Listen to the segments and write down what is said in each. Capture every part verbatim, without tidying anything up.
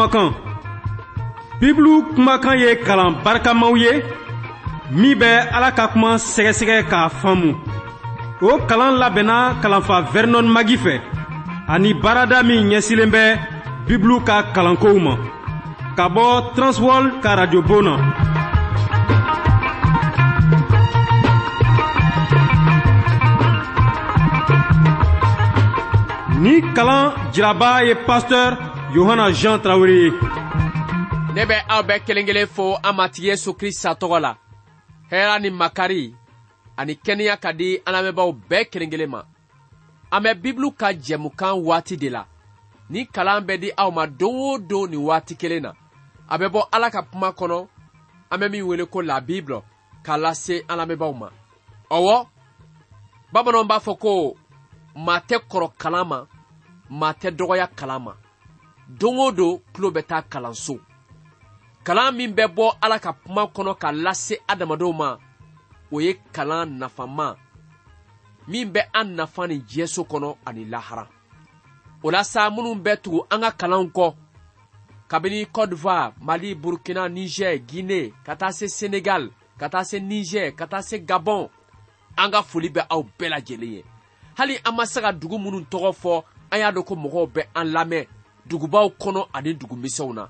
kumakan. Bibulu kumakan ye kalan barikamaw ye min bɛ Ala ka kuma sɛgɛsɛgɛ k'a faamu. O kalan labɛnna kalanfa Vernon Magi fɛ ani baarada min ɲɛsilen bɛ Bibulu ka kalankow ma ka bɔ Transworld ka radio bon na. Ni kalan jiraba ye pasteur Yohana Jean Traoré ye. Ne bɛ aw bɛɛ kelen kelen fo an Matigi Yesu Krista tɔgɔ la. Hɛrɛ ni makari ani kɛnɛya ka di an lamɛnbaaw bɛɛ kelen kelen ma. An bɛ Bibulu ka jɛmukan waati de la. Ni kalan bɛ di aw ma don o don nin waati kelen na. A bɛ bɔ Ala ka kuma kɔnɔ, an bɛ min wele ko la Bible, k'a lase an lamɛnbaaw ma. Ɔwɔ, bamananw b'a fɔ ko maa tɛ kɔrɔ kalan ma, maa tɛ dɔgɔya kalan ma. Don o don tulo bɛ taa kalanso. Kalan min bɛ bɔ Ala ka kuma kɔnɔ ka lase adamadenw ma, o ye kalan nafama min bɛ an nafa ni diɲɛso kɔnɔ ani lahara. O la sa minnu bɛ tugu an ka kalanw kɔ kabini Côte d'Ivoire, Mali, Burkina, Niger, Guinée, ka taa se Sénégal, ka taa se Niger, ka taa se Gabon, an ka foli bɛ aw bɛɛ lajɛlen ye. Hali an ma se ka dugu minnu tɔgɔ fɔ, an y'a dɔn ko mɔgɔw bɛ an lamɛn dugubaw kɔnɔ ani dugumisɛnw na.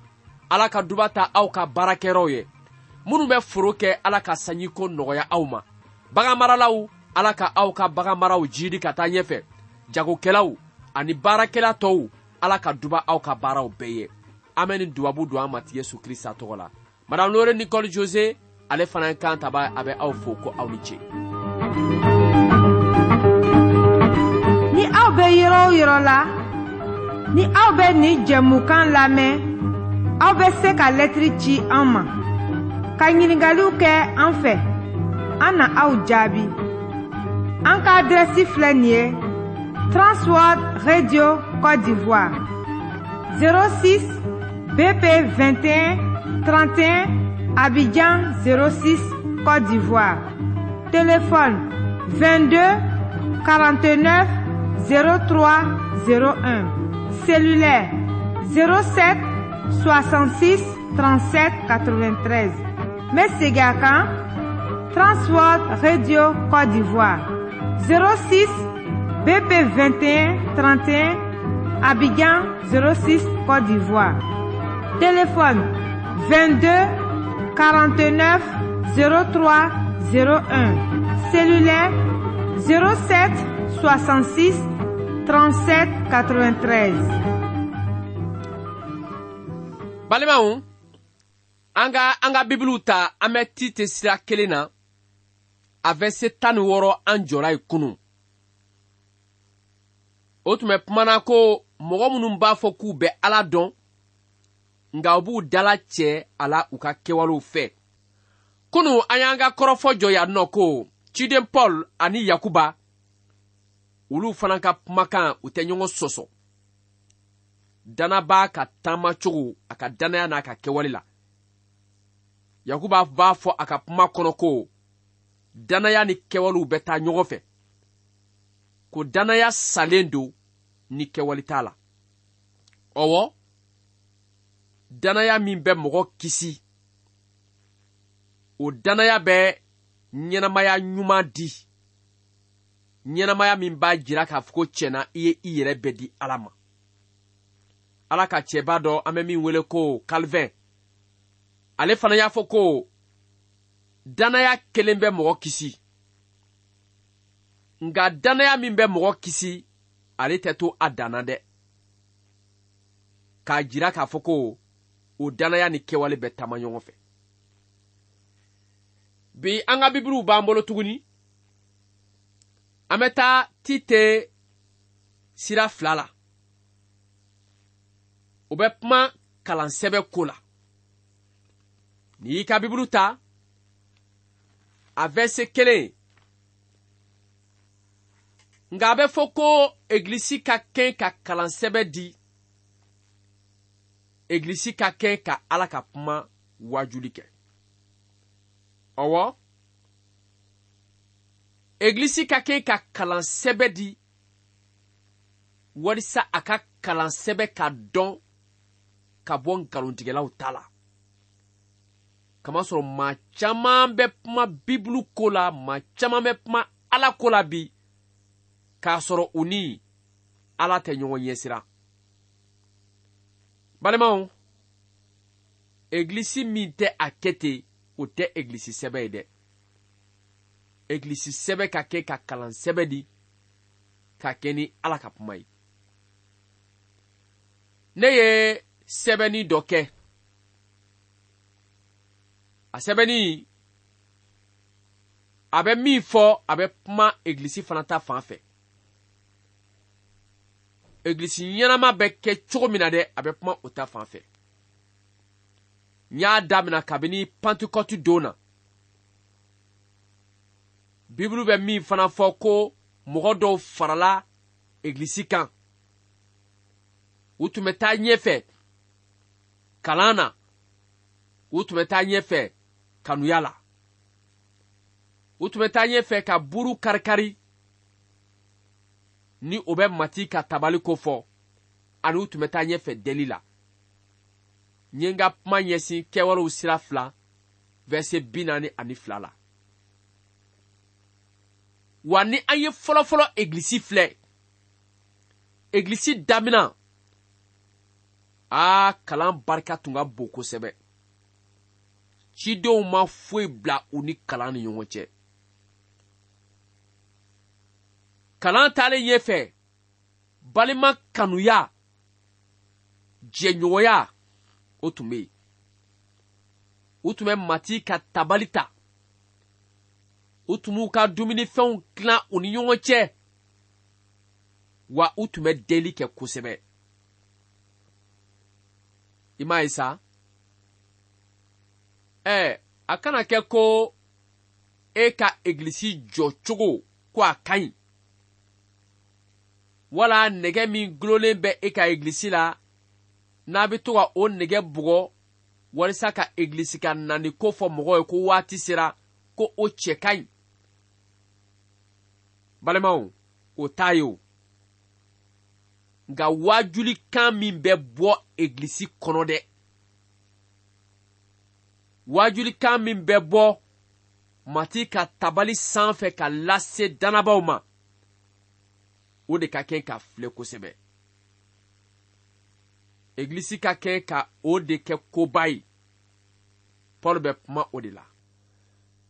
Ala ka duba ta aw ka baarakɛyɔrɔw ye. Minnu bɛ foro kɛ, Ala ka sanjiko nɔgɔya aw ma. Baganmaralaw, Ala ka aw ka baganmaraw jiidi ka taa ɲɛfɛ. Jagokɛlaw ani baarakɛla tɔw, Ala ka duba aw ka baaraw bɛɛ ye. An bɛ nin dubabu don an Matigi Yesu Krista tɔgɔ la. Madame Lore Nicole José, ale fana ye kan taba, a bɛ aw fo ko aw ni ce. Ni aw bɛ yɔrɔ o yɔrɔ la, ni aw bɛ nin jɛmukan lamɛn, aw bɛ se ka lɛtiri ci an ma, ka ɲininkaliw kɛ an fɛ, an na aw jaabi. An ka adrɛsi filɛ nin ye: Transworld Radio Côte d'Ivoire, zéro six B P vingt et un trente et un, Abidjan zéro six Côte d'Ivoire. Téléphone vingt-deux quarante-neuf zéro trois zéro un. Cellulaire zéro sept soixante-six trente-sept quatre-vingt-treize. N bɛ segin a kan: Transworld Radio Côte d'Ivoire, zéro six B P vingt et un trente et un, Abidjan zéro six Côte d'Ivoire. Téléphone vingt-deux quarante-neuf zéro trois zéro un. Cellulaire zéro sept soixante-six trente-sept quatre-vingt-treize. Balimaw, an ka an ka Bibulu ta, an bɛ Tite sira kelen na, a verset tan ni wɔɔrɔ an jɔra yen kunun. O tun bɛ kumana ko mɔgɔ minnu b'a fɔ k'u bɛ Ala dɔn, nka u b'u dala cɛ a la u ka kɛwalew fɛ. Kunun an y'an ka kɔrɔfɔ jɔ yan nɔ ko ciden Paul ani Yakuba, olu fana ka kumakan u tɛ ɲɔgɔn sɔsɔ. Danabaa ka taamacogo a ka danaya n'a ka kɛwale la. Yakuba b'a fɔ a ka kuma kɔnɔ ko danaya ni kɛwalew bɛ taa ɲɔgɔn fɛ, ko danaya salen don ni kɛwale t'a la. Ɔwɔ, danaya min bɛ mɔgɔ kisi, o danaya bɛ ɲɛnamaya ɲuman di, ɲɛnamaya min b'a jira k'a fɔ ko tiɲɛna i ye i yɛrɛ bɛɛ di Ala ma. Ala ka cɛba dɔ an bɛ min wele ko Calvin, ale fana y'a fɔ ko danaya kelen bɛ mɔgɔ kisi, nka danaya min bɛ mɔgɔ kisi, ale tɛ to a dan na dɛ. K'a jira k'a fɔ ko o danaya ni kɛwale bɛ taama ɲɔgɔn fɛ. Bi an ka Bibuluw b'an bolo tuguni. An bɛ taa Tite sira fila la. O bɛ kuma kalansɛbɛ ko la. N'i y'i ka Bibulu ta, a verset kelen, nka a bɛ fɔ ko egilisi ka kɛn ka kalansɛbɛ di, egilisi ka kɛn ka Ala ka kuma wajuli kɛ. Ɔwɔ, egilisi ka kɛn ka kalansɛbɛ di walisa a ka kalansɛbɛ ka dɔn ka bɔ nkalontigɛlaw ta la. Kamasɔrɔ maa caman bɛ kuma Bibulu ko la, maa caman bɛ kuma Ala ko la bi, k'a sɔrɔ u ni Ala tɛ ɲɔgɔn ɲɛsira. Balimaw, egilisi min tɛ a kɛ ten, o tɛ egilisi sɛbɛ ye dɛ. Egilisi sɛbɛ ka kɛ ka kalan sɛbɛ di, ka kɛ ni Ala ka kuma ye. Ne ye sɛbɛnni dɔ kɛ. A sɛbɛnni, a bɛ min fɔ, a bɛ kuma egilisi fana ta fan fɛ. Egilisi ɲɛnama bɛ kɛ cogo min na dɛ, a bɛ kuma o ta fan fɛ. N y'a daminɛ kabini Pantekɔti don na. Bibulu bɛ min fana fɔ ko mɔgɔ dɔw farala egilisi kan. U tun bɛ taa ɲɛfɛ kalan na, u tun bɛ taa ɲɛfɛ kanuya la, u tun bɛ taa ɲɛfɛ ka buru karikari ni o bɛ Matigi ka tabali ko fɔ, ani u tun bɛ taa ɲɛfɛ deli la. N ye n ka kuma ɲɛsin Kɛwalew sira fila verset bi naani ani fila la. Wa ni an ye fɔlɔfɔlɔ egilisi filɛ, egilisi daminɛ, aa kalan barika tun ka bon kosɛbɛ. Cidenw ma foyi bila u ni kalan ni ɲɔgɔn cɛ. Kalan taalen ɲɛfɛ, balima kanuya, jɛɲɔgɔnya, o tun bɛ yen. U tun bɛ Matigi ka tabali ta. U tun b'u ka dumunifɛnw tilan u ni ɲɔgɔn cɛ. Wa u tun bɛ deli kɛ kosɛbɛ. I m'a ye sa? Ɛ, a kana kɛ ko e ka egilisi jɔ cogo ko a ka ɲi. Wala nɛgɛ min gulonlen bɛ e ka egilisi la, n'a bɛ to ka o nɛgɛ bugɔ walisa ka egilisi ka nani ko fɔ mɔgɔw ye ko waati sera, ko o cɛ ka ɲi. Balimaw, o t'a ye o. Nka waajulikan min bɛ bɔ egilisi kɔnɔ dɛ, waajulikan min bɛ bɔ Matigi ka tabali sanfɛ ka lase dannabaw ma, o de ka kɛ ka filɛ kosɛbɛ. Egilisi ka kɛ ka o de kɛ koba ye. Paul bɛ kuma o de la.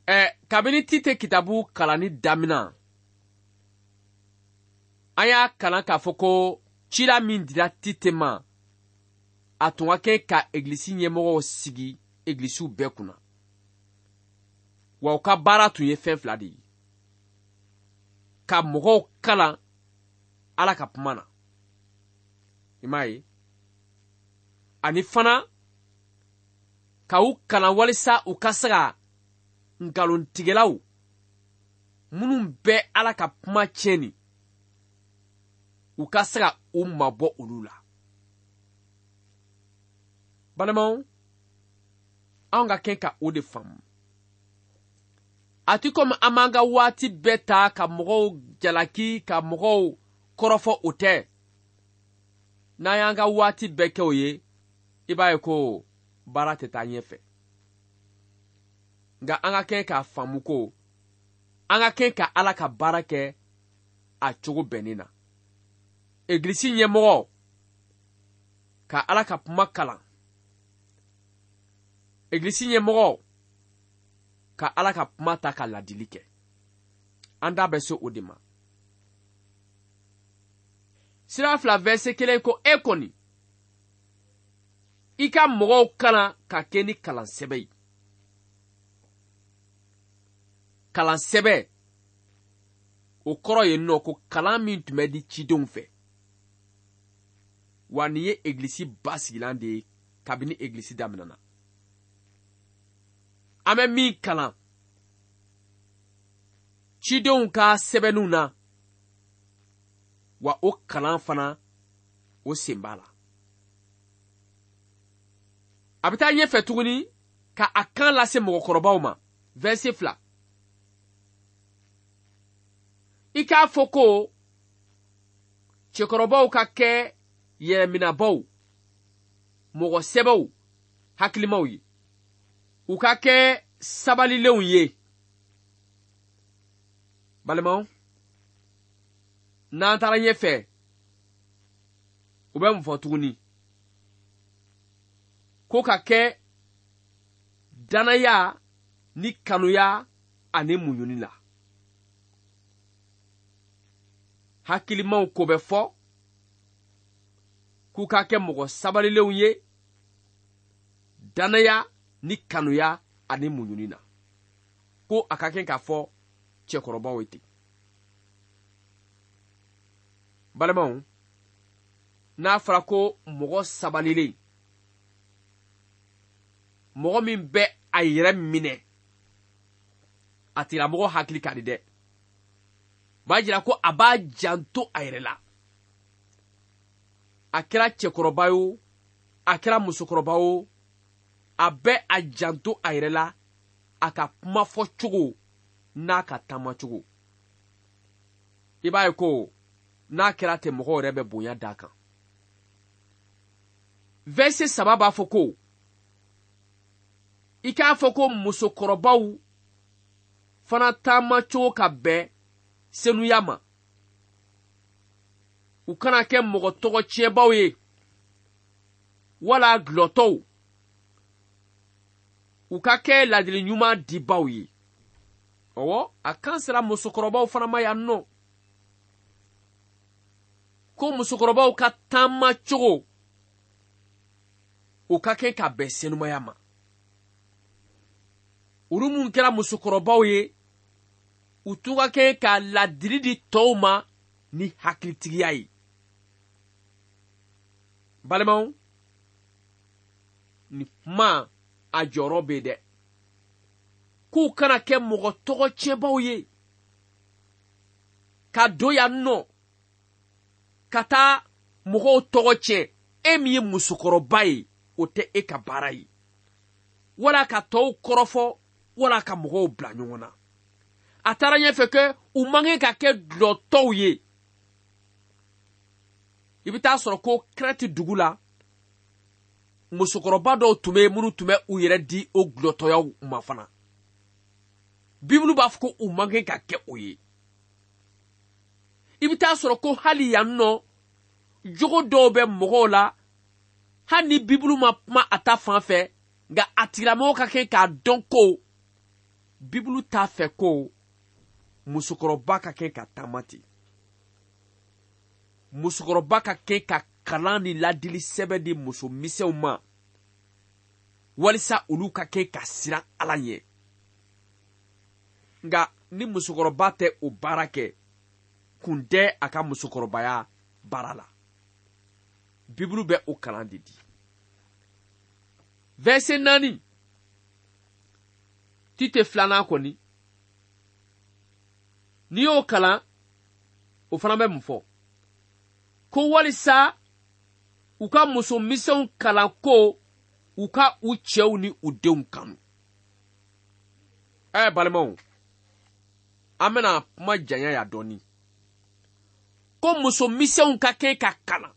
Ɛ, kabini Tite kitabu kalanni daminɛ, an y'a kalan k'a fɔ ko cila min dira Tite ma, a tun ka kɛ ka egilisi ɲɛmɔgɔw sigi egilisiw bɛɛ kunna. Wa u ka baara tun ye fɛn fila de ye: ka mɔgɔw kalan Ala ka kuma na, i m'a ye, ani fana ka u kalan walisa u ka se ka nkalontigɛlaw minnu bɛ Ala ka kuma tiɲɛni, u ka se ka u mabɔ olu la. Balimaw, anw ka kɛ ka o de faamu. A ti komi an b'an ka waati bɛɛ ta ka mɔgɔw jalaki, ka mɔgɔw kɔrɔfɔ, o tɛ. N'an y'an ka waati bɛɛ kɛ o ye, i b'a ye ko baara tɛ taa ɲɛfɛ. Nka an ka kɛ k'a faamu ko an ka kɛ ka Ala ka baara kɛ a cogo bɛnnen na. Egilisi ɲɛmɔgɔ ka Ala ka kuma kalan. Egilisi ɲɛmɔgɔ ka Ala ka kuma ta ka ladili kɛ. An da bɛ se o de ma. Sira fila verset kelen ko e kɔni, i ka mɔgɔw kalan ka kɛ ni kalan sɛbɛ ye. Kalan sɛbɛ, o kɔrɔ ye nɔ ko kalan min tun bɛ di cidenw fɛ. Wa nin ye egilisi basigilan de ye kabini egilisi daminɛna. An bɛ min kalan cidenw ka sɛbɛnniw na, wa o kalan fana o sen b'a la. A bɛ taa ɲɛfɛ tuguni ka a kan lase mɔgɔkɔrɔbaw ma. Verset fila. I k'a fɔ ko cɛkɔrɔbaw ka kɛ yɛrɛminɛbaw, mɔgɔ sɛbɛw hakilimaw ye, u ka kɛ sabalilenw ye. Balimaw, n'an taara ɲɛfɛ, u bɛ mun fɔ tuguni? Ko ka kɛ danaya ni kanuya ani muɲuni la. Hakilimaw ko bɛ fɔ k'u ka kɛ mɔgɔ sabalilenw ye danaya ni kanuya ani muɲuni na. Ko a ka kɛ k'a fɔ cɛkɔrɔbaw ye ten. Balimaw, n'a fɔra ko mɔgɔ sabalilen, mɔgɔ min bɛ a yɛrɛ minɛ, a tigilamɔgɔ hakili ka di dɛ. B'a jira ko a b'a janto a yɛrɛ la. A kɛra cɛkɔrɔba ye o, a kɛra musokɔrɔba o, a bɛ a janto a yɛrɛ la, a ka kuma fɔ cogo n'a ka taama cogo. I b'a ye ko n'a kɛra ten, mɔgɔw yɛrɛ bɛ bonya d'a kan. Verset saba b'a fɔ ko i k'a fɔ ko musokɔrɔbaw fana taama cogo ka bɛn senuya ma. U kana kɛ mɔgɔ tɔgɔ tiɲɛbaw ye wala gulɔtɔw. U ka kɛ ladili ɲuman dibaw ye. Ɔwɔ, a kan sera musokɔrɔbaw fana ma yan nɔ. Ko musokɔrɔbaw ka taama cogo, o ka kɛ ka bɛn senumaya ma. Olu mun kɛra musokɔrɔbaw ye, u tun ka kɛ ka ladili di tɔw ma ni hakilitigiya ye. Balimaw, nin kuma a jɔyɔrɔ bɛ dɛ. K'u kana kɛ mɔgɔ tɔgɔ tiɲɛbaw ye, ka don yan nɔ ka taa mɔgɔw tɔgɔ tiɲɛ. E min ye musokɔrɔba ye, o tɛ e ka baara ye. Wala ka tɔw kɔrɔfɔ, wala ka mɔgɔw bila ɲɔgɔn na. A taara ɲɛfɛ kɛ u man kan ka kɛ dulɔtɔw ye. I bɛ taa sɔrɔ ko Kɛrɛti dugu la, musokɔrɔba dɔw tun bɛ minnu tun bɛ u yɛrɛ di o dulɔtɔyaw ma fana. Bibulu b'a fɔ ko u man kan ka kɛ o ye. I bɛ taa sɔrɔ ko hali yan nɔ, jogo dɔw bɛ mɔgɔw la, hali ni Bibulu ma kuma a ta fan fɛ, nka a tigilamɔgɔ ka kɛ k'a dɔn ko Bibulu t'a fɛ ko musokɔrɔba ka kɛ ka taama ten. Musokɔrɔba ka kɛ ka kalan ni ladili sɛbɛn di muso misɛnw ma, walisa olu ka kɛ ka siran Ala ɲɛ. Nka ni musokɔrɔba tɛ o baara kɛ, kun tɛ a ka musokɔrɔbaya baara la. Bibulu bɛ o kalan de di. Verset naani, Tite filanan kɔni, n'i y'o kalan, o fana bɛ mun fɔ? Ko walisa u ka muso misɛnw kalan ko u ka u cɛw ni u denw kanu. Ɛ balimaw, an bɛna kuma janya yan dɔɔni. Ko muso misɛnw ka kɛ ka kalan,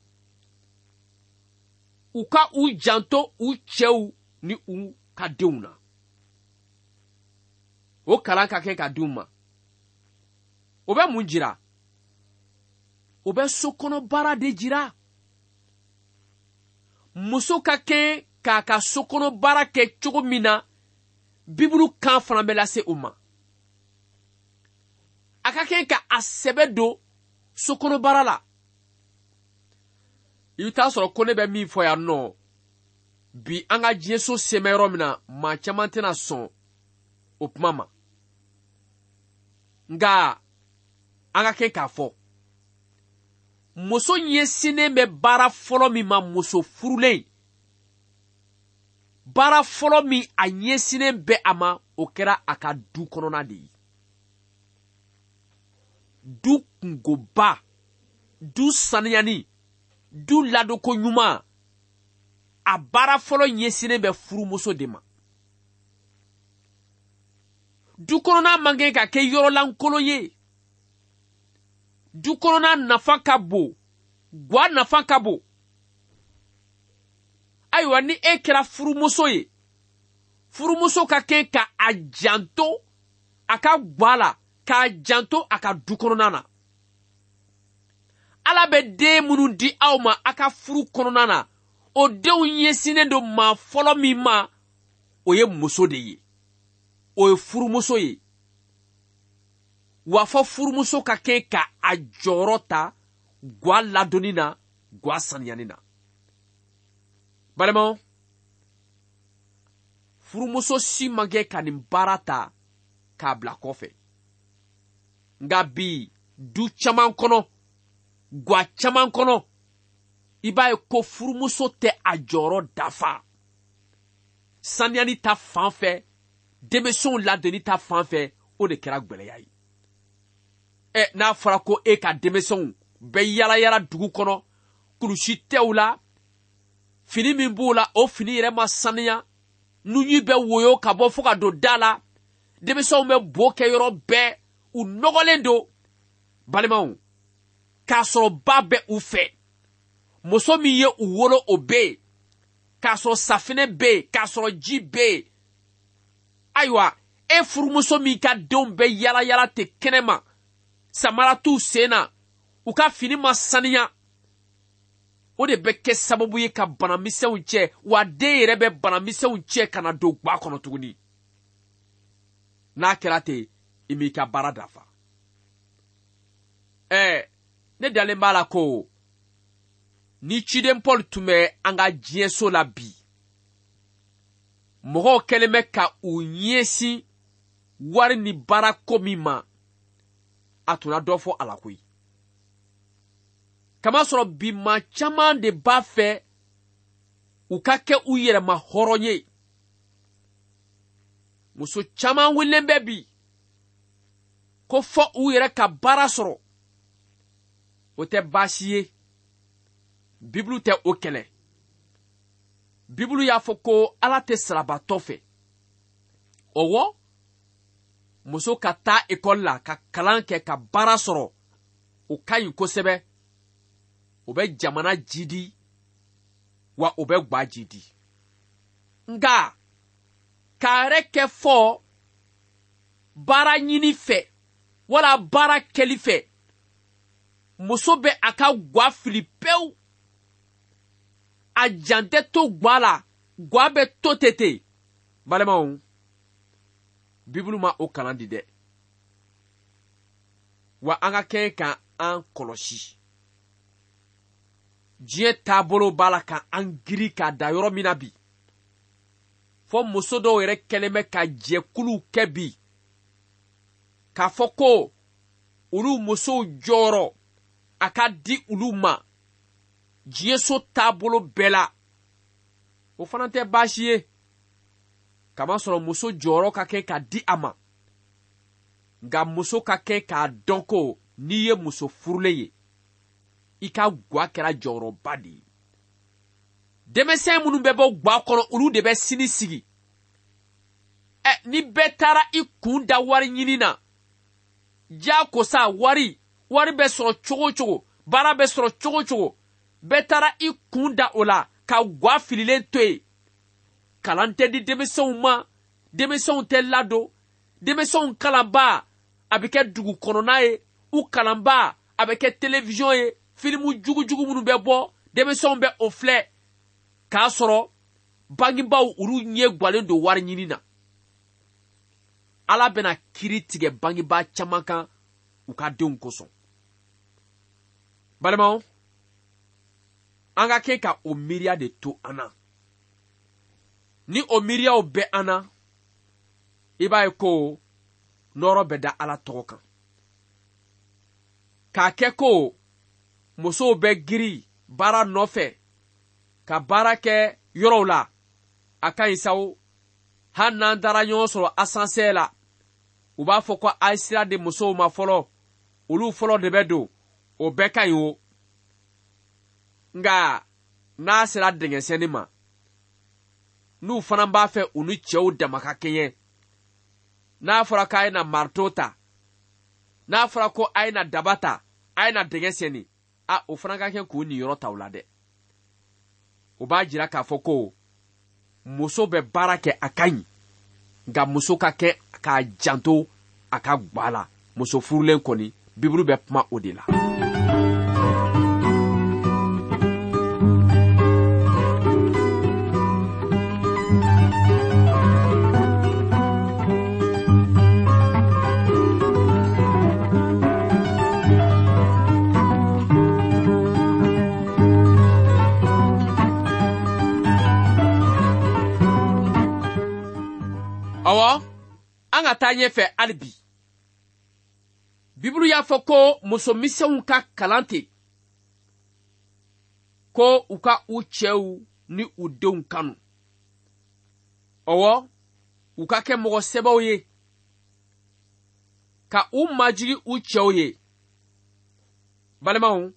u ka u janto u cɛw ni u ka denw na. O kalan ka kɛ ka d'u ma. O bɛ mun jira? O bɛ sokɔnɔ baara de jira. Muso ka kɛ k'a ka sokɔnɔ baara kɛ cogo min na, Bibulu kan fana bɛ lase o ma. A ka kɛ ka a sɛbɛ don sokɔnɔ baara la. I bɛ taa sɔrɔ ko ne bɛ min fɔ yan nɔ, bi an ka diɲɛso sɛmɛ yɔrɔ min na, maa caman tɛna sɔn o kuma ma. Nka an ka kɛ k'a fɔ, muso ɲɛsinnen bɛ baara fɔlɔ min ma, muso furulen, baara fɔlɔ min a ɲɛsinnen bɛ a ma, o kɛra a ka du kɔnɔna de ye. Du kungoba, du saniyani, du ladonko ɲuman, a baara fɔlɔ ɲɛsinnen bɛ furumuso de ma. Du kɔnɔna man kan ka kɛ yɔrɔ lankolon ye. Du kɔnɔna nafa ka bon, gwa nafa ka bon. Ayiwa ni e kɛra furumuso ye, furumuso ka kɛ ka a janto a ka gwa la, k'a janto a ka du kɔnɔna na. Ala bɛ den minnu di aw ma a ka furu kɔnɔna na, o denw ɲɛsinnen don maa fɔlɔ min ma, o ye muso de ye, o ye furumuso ye. Wa fɔ furumuso ka kɛ ka a jɔyɔrɔ ta gwa ladonni na, gwa saniyani na. Balimaw, furumuso si man kɛ ka nin baara ta k'a bila kɔfɛ. Nka bi du caman kɔnɔ, gwa caman kɔnɔ, i b'a ye ko furumuso tɛ a jɔyɔrɔ dafa. Saniyani ta fan fɛ, denmisɛnw ladonni ta fan fɛ, o de kɛra gwɛlɛya ye. Ɛ, n'a fɔra ko e ka denmisɛnw bɛ yala yala dugu kɔnɔ, kulusi tɛ u la, fini min b'u la, o fini yɛrɛ ma saniya, nunji bɛ woyo ka bɔ fo ka don da la, denmisɛnw bɛ bo kɛ yɔrɔ bɛɛ, u nɔgɔlen don. Balimaw, k'a sɔrɔ ba bɛ u fɛ, muso min ye u wolo o bɛ yen, k'a sɔrɔ safinɛ bɛ yen, k'a sɔrɔ ji bɛ yen. Ayiwa, e furumuso min ka denw bɛ yala yala ten kɛnɛma, samara t'u sen na, u ka fini ma saniya, o de bɛ kɛ sababu ye ka banamisɛnw cɛ, wa den yɛrɛ bɛ banamisɛnw cɛ ka na don gwa kɔnɔ tuguni. N'a kɛra ten, i m'i ka baara dafa. Ɛɛ, ne dalen b'a la ko ni ciden Paul tun bɛ an ka diɲɛso la bi, mɔgɔw kɛlen bɛ ka u ɲɛsin wari ni baarako min ma, a tun na dɔ fɔ a la koyi. Kamasɔrɔ bi maa caman de b'a fɛ u ka kɛ u yɛrɛma hɔrɔn ye. Muso caman wulilen bɛ bi ko fɔ u yɛrɛ ka baara sɔrɔ. O tɛ baasi ye. Bibulu tɛ o kɛlɛ. Bibulu y'a fɔ ko Ala tɛ sarabatɔ fɛ. Ɔwɔ, muso ka taa ekɔli la ka kalan kɛ ka baara sɔrɔ, o ka ɲi kosɛbɛ. O bɛ jamana jidi, wa o bɛ gwa jidi. Nka k'a yɛrɛ kɛ fɔ baara ɲini fɛ wala baara kɛli fɛ, muso bɛ a ka gwa fili pewu. A jan tɛ to gwa la, gwa bɛ to ten ten. Balimaw, Bibulu ma o kalan di dɛ. Wa an ka kɛ ka an kɔlɔsi. Diɲɛ taabolo b'a la ka an giri k'a da yɔrɔ min na bi, fɔ muso dɔw yɛrɛ kɛlen bɛ ka jɛkuluw kɛ bi, k'a fɔ ko olu musow jɔyɔrɔ a ka di olu ma diɲɛso taabolo bɛɛ la. O fana tɛ baasi ye, kamasɔrɔ muso jɔyɔrɔ ka kɛ ka di a ma. Nka muso ka kɛ k'a dɔn ko n'i ye muso furulen ye, i ka gwa kɛra jɔyɔrɔba de ye. Denmisɛn minnu bɛ bɔ gwa kɔnɔ, olu de bɛ sini sigi. Ɛ, ni bɛɛ taara i kun da wari ɲini na, diyagosa wari, wari bɛ sɔrɔ cogo o cogo, baara bɛ sɔrɔ cogo o cogo, bɛɛ taara i kun da o la ka gwa fililen to yen. Kalan tɛ di denmisɛnw ma, denmisɛnw tɛ ladon, denmisɛnw kalanbaa a bɛ kɛ dugu kɔnɔna ye, u kalanbaa a bɛ kɛ télévision ye, filimu jugujugu minnu bɛ bɔ, denmisɛnw bɛ o filɛ, k'a sɔrɔ bangebaaw olu ɲɛ gwalen don wari ɲini na. Ala bɛna kiiri tigɛ bangebaa caman kan u ka denw kosɔn. Balimaw, an ka kɛ ka o miiriya de to an na. Ni o miiriyaw bɛ an na, i b'a ye ko nɔrɔ bɛ da Ala tɔgɔ kan. K'a kɛ ko musow bɛ giri baara nɔfɛ ka baara kɛ yɔrɔw la, a ka ɲi sa o. Hali n'an taara ɲɔgɔn sɔrɔ asansɛri la, u b'a fɔ ko a ye sira di musow ma fɔlɔ, olu fɔlɔ de bɛ don, o bɛɛ ka ɲi o. Nka n'a sera dɛngɛsɛnni ma, n'u fana b'a fɛ u ni cɛw dama ka kɛɲɛ, n'a fɔra k'a ye na marito ta, n'a fɔra ko a ye na daba ta, a ye na dɛngɛ sɛnni, a o fana ka kɛ k'u niyɔrɔ ta o la dɛ. O b'a jira k'a fɔ ko muso bɛ baara kɛ a ka ɲi, nka muso ka kɛ k'a janto a ka gwa la. Muso furulen kɔni, Bibulu bɛ kuma o de la. Ɔwɔ, an ka taa ɲɛfɛ hali bi. Bibulu y'a fɔ ko musomisɛnw ka kalan ten, ko u ka u cɛw ni u denw kanu. Ɔwɔ, u ka kɛ mɔgɔ sɛbɛw ye, ka u majigi u cɛw ye. Balimaw,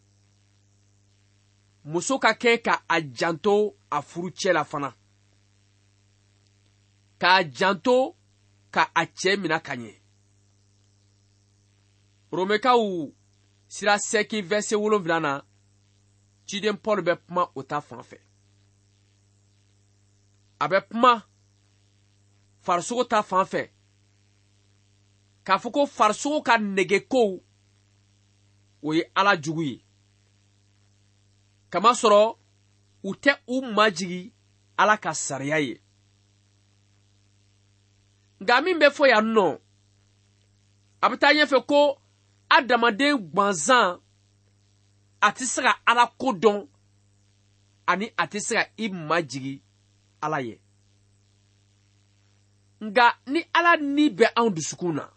muso ka kɛ ka a janto a furucɛ la fana, k'a janto ka a cɛ mina ka ɲɛ. Romɛkaw sira sɛki vɛse wolonwula na, ciden Paul bɛ kuma o ta fan fɛ. A bɛ kuma farisogo ta fan fɛ, k'a fɔ ko farisogo ka negekow o ye Ala jugu ye. Kamasɔrɔ u tɛ u majigi Ala ka sariya ye. Nka min bɛ fɔ yan nɔ, a bɛ taa ɲɛfɛ ko adamaden gwanzan a tɛ se ka Ala ko dɔn, ani a tɛ se ka i majigi Ala ye. Nka ni Ala ni bɛ anw dusukun na,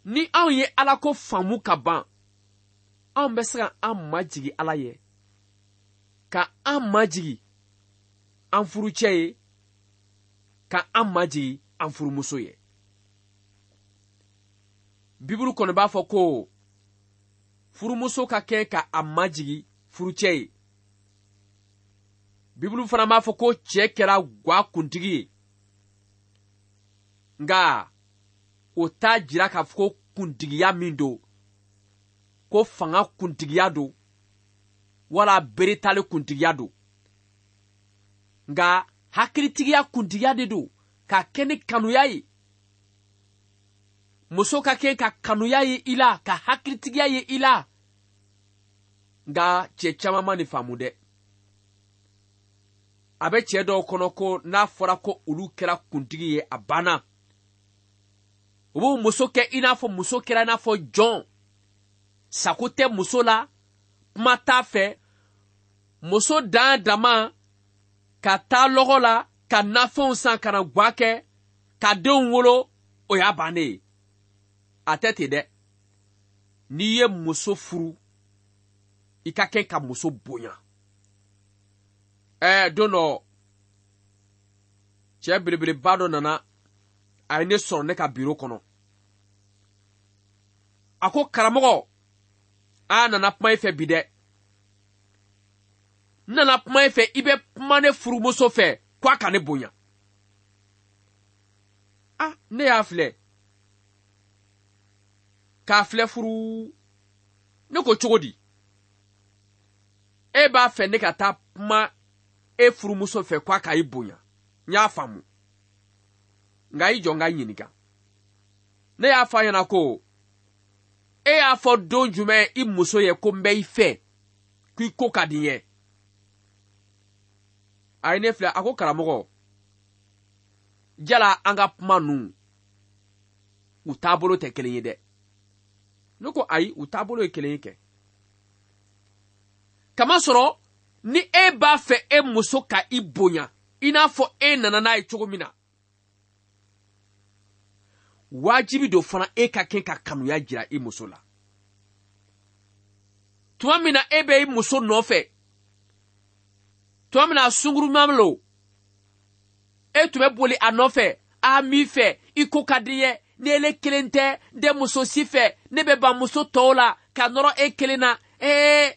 ni anw ye Ala ko faamu ka ban, anw bɛ se ka an majigi Ala ye, ka an majigi an furucɛ ye, ka an majigi an furumuso ye. Bibulu kɔni b'a fɔ ko furumuso ka kɛ ka a majigi furucɛ ye. Bibulu fana b'a fɔ ko cɛ kɛra gwa kuntigi ye. Nka o t'a jira k'a fɔ ko kuntigiya min don, ko fanga kuntigiya don, wala beretali kuntigiya don. Nka hakilitigiya kuntigiya de don, ka kɛ ni kanuya ye. Muso ka kɛ ka kanuya ye i la, ka hakilitigiya ye i la. Nka cɛ caman ma nin faamu dɛ. A bɛ cɛ dɔw kɔnɔ ko n'a fɔra ko olu kɛra kuntigi ye, a banna. U b'u muso kɛ i n'a fɔ muso kɛra i n'a fɔ jɔn. Sako tɛ muso la, kuma t'a fɛ. Muso dan dama ka taa lɔgɔ la, ka nafɛnw san, ka na gwa kɛ, ka denw wolo, o y'a bannen ye. A tɛ ten dɛ. N'i ye muso furu, i ka kɛ ka muso bonya. Ɛɛ don dɔ, cɛ belebeleba dɔ nana, a ye ne sɔrɔ ne ka biro kɔnɔ. A ko karamɔgɔ, a nana kuma i fɛ bi dɛ. N nana kuma i fɛ, i bɛ kuma ne furumuso fɛ ko a ka ne bonya. Ah, ne y'a filɛ. K'a filɛ furu. Ne ko cogo di? E b'a fɛ ne ka taa kuma e furumuso fɛ ko a ka i bonya. N y'a faamu. Nka i jɔ n ka ɲininka. Ne y'a fɔ a ɲɛna ko e y'a fɔ don jumɛn i muso ye ko n bɛ i fɛ, k'i ko ka di n ye. A ye ne filɛ, a ko karamɔgɔ, jala an ka kuma ninnu, u taabolo tɛ kelen ye dɛ. Ne ko ayi, u taabolo ye kelen ye kɛ. Kamasɔrɔ ni e b'a fɛ e muso ka i bonya, i n'a fɔ e nana n'a ye cogo min na, wajibi don fana e ka kɛ ka kanuya jira i muso la. Tuma min na e bɛ i muso nɔfɛ, tuma min na sungurunma lo, e tun bɛ boli a nɔfɛ, a m'i fɛ, i ko ka di n ye, ni ele kelen tɛ, n tɛ muso si fɛ, ne bɛ ban muso tɔw la ka nɔrɔ e kelen na. Ee,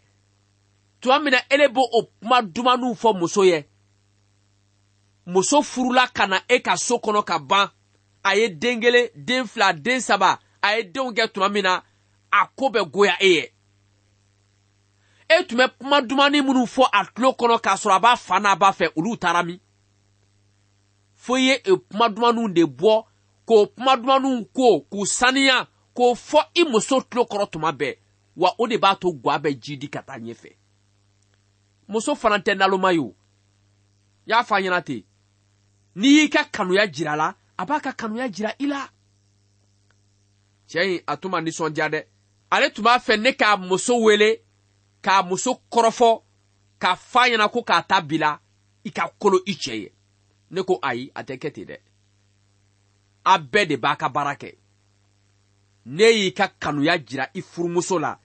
tuma min na ele b'o o kuma dumanniw fɔ muso ye, muso furula ka na e ka so kɔnɔ ka ban, a ye den kelen, den fila, den saba, a ye denw kɛ tuma min na, a ko bɛ goya e ye. E tun bɛ kuma dumani minnu fɔ a tulo kɔnɔ k'a sɔrɔ a b'a fa n'a b'a fɛ, olu taara min? Fo i ye kuma dumaniw de bɔ, k'o kuma dumaniw ko, k'u saniya, k'o fɔ i muso tulo kɔrɔ tuma bɛɛ. Wa o de b'a to gwa bɛ ji di ka taa ɲɛfɛ. Muso fana tɛ naloma ye o. Y'a fɔ a ɲɛna ten, n'i y'i ka kanuya jira a la, a b'a ka kanuya jira i la. Cɛ in a tun ma nisɔndiya dɛ. Ale tun b'a fɛ ne k'a muso wele, k'a muso kɔrɔfɔ, k'a f'a ɲɛna ko k'a ta bila i ka kolo i cɛ ye. Ne ko ayi, a tɛ kɛ ten dɛ. A bɛɛ de b'a ka baara kɛ. Ne y'i ka kanuya jira i furumuso la,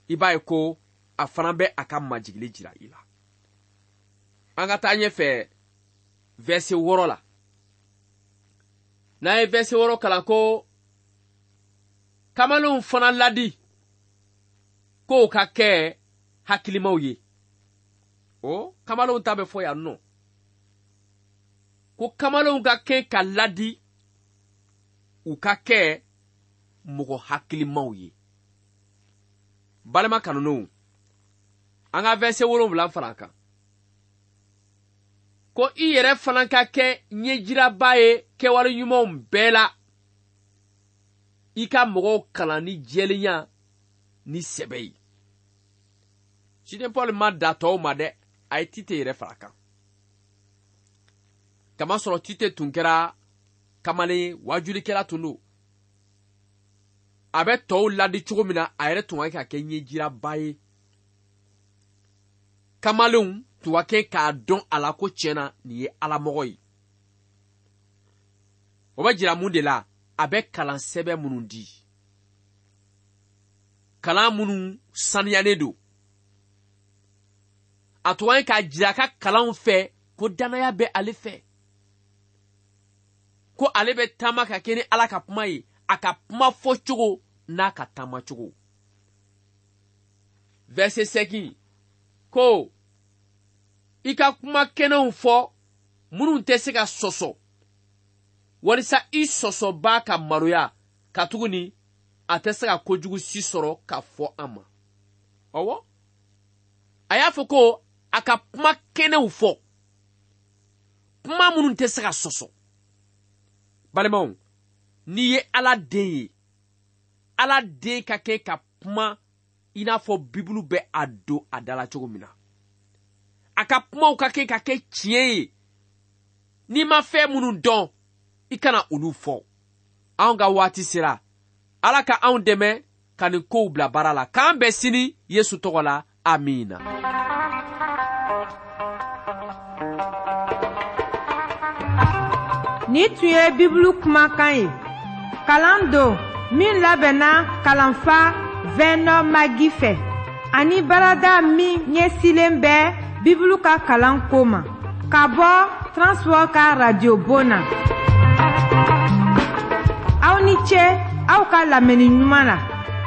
i b'a ye ko a fana bɛ a ka majigili jira i la. An ka taa ɲɛfɛ verset wɔɔrɔ la. N'an ye verset wɔɔrɔ kalan ko kamalenw fana ladi k'o ka kɛ hakilimaw ye. O kamalenw ta bɛ fɔ yan nɔ. Ko kamalenw ka kɛ ka ladi, u ka kɛ mɔgɔ hakilimaw ye. Balima kanulenw, an ka verset wolonwula fara a kan. Ko i yɛrɛ fana ka kɛ ɲɛjiraba ye kɛwale ɲumanw bɛɛ la. I ka mɔgɔw kalan ni jɛlenya ni sɛbɛ ye. Ciden Paul ma da tɔw ma dɛ, a ye Tite yɛrɛ fara a kan. Kamasɔrɔ Tite tun kɛra kamalen wajulikɛla tun don. A bɛ tɔw ladi cogo min na, a yɛrɛ tun ka kɛ ka kɛ ɲɛjiraba ye. Kamalenw tun ka kɛ k'a dɔn a la ko tiɲɛ na nin ye alamɔgɔ ye. O bɛ jira mun de la? A bɛ kalan sɛbɛn minnu di, kalan minnu saniyalen don. A tun ka kɛ k'a jira a ka kalanw fɛ ko danaya bɛ ale fɛ, ko ale bɛ taama ka kɛ ni Ala ka kuma ye, a ka kuma fɔcogo n'a ka taama cogo. Verset seegin ko i ka kuma kɛnɛw fɔ minnu tɛ se ka sɔsɔ, walisa i sɔsɔbaa ka maloya, katuguni a tɛ se ka kojugu si sɔrɔ ka fɔ an ma. Ɔwɔ, a y'a fɔ ko a ka kuma kɛnɛw fɔ, kuma minnu tɛ se ka sɔsɔ. Balimaw, n'i ye Ala den ye, Ala den ka kɛ ka kuma i n'a fɔ Bibulu bɛ a don a da la cogo min na. A ka kumaw ka kɛ ka kɛ tiɲɛ ye. N'i ma fɛn minnu dɔn, i kana olu fɔ. Anw ka waati sera. Ala ka anw dɛmɛ ka nin kow bila baara la. K'an bɛn sini Yesu tɔgɔ la. Amiina. Ni tun ye Bibulu kumakan ye. Kalan don min labɛnna kalanfa Vernon Magi fɛ, ani baarada min ɲɛsilen bɛ Bibulu ka kalan ko ma, ka bɔ Transworld ka radio bon na. Aw ni ce aw ka lamɛnni ɲuman na.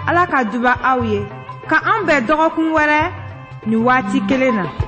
Ala ka duba aw ye. Ka an bɛn dɔgɔkun wɛrɛ nin waati kelen na.